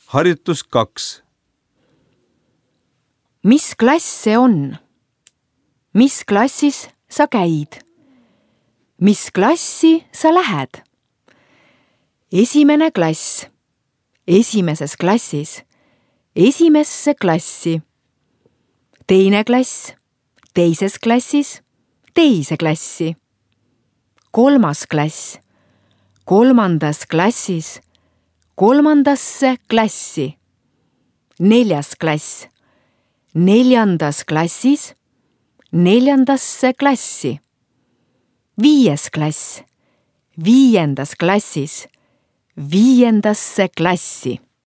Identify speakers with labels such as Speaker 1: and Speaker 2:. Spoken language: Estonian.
Speaker 1: Harjutus 2.
Speaker 2: Mis klass see on? Mis klassis sa käid? Mis klassi sa lähed? Esimene klass. Esimeses klassis. Esimesse klassi. Teine klass. Teises klassis. Teise klassi. Kolmas klass. Kolmandas klassis. Kolmandasse klassi. Neljas klass. Neljandas klassis. Neljandasse klassi. Viies klass. Viiendas klassis. Viiendasse klassi.